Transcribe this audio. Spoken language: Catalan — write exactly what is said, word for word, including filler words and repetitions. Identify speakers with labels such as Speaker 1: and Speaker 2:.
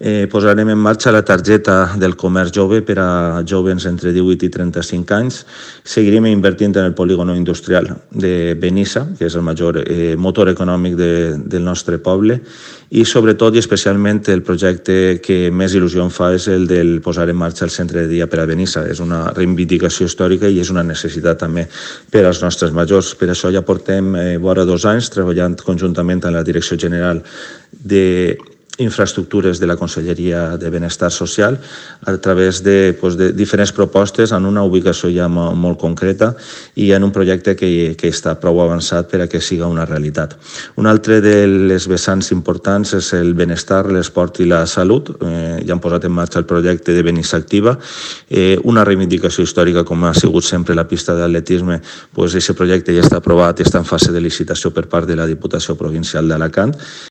Speaker 1: Eh, posarem en marxa la targeta del comerç jove per a joves entre divuit i trenta-cinc anys. Seguirem invertint en el polígono industrial de Benissa, que és el major eh, motor econòmic de, del nostre poble, i sobretot i especialment el projecte que més il·lusió em fa és el del posar en marxa el centre de dia per a Benissa. És una reivindicació històrica i és una necessitat també per als nostres majors. Per això ja portem eh, vora dos anys treballant conjuntament amb la Direcció General de infraestructures de la Conselleria de Benestar Social a través de, pues, de diferents propostes en una ubicació ja molt, molt concreta i en un projecte que, que està prou avançat per a que siga una realitat. Un altre de les vessants importants és el benestar, l'esport i la salut. Eh, ja han posat en marxa el projecte de Benissa Activa, eh, una reivindicació històrica com ha sigut sempre la pista d'atletisme. Pues, aquest projecte ja està aprovat i està en fase de licitació per part de la Diputació Provincial d'Alacant.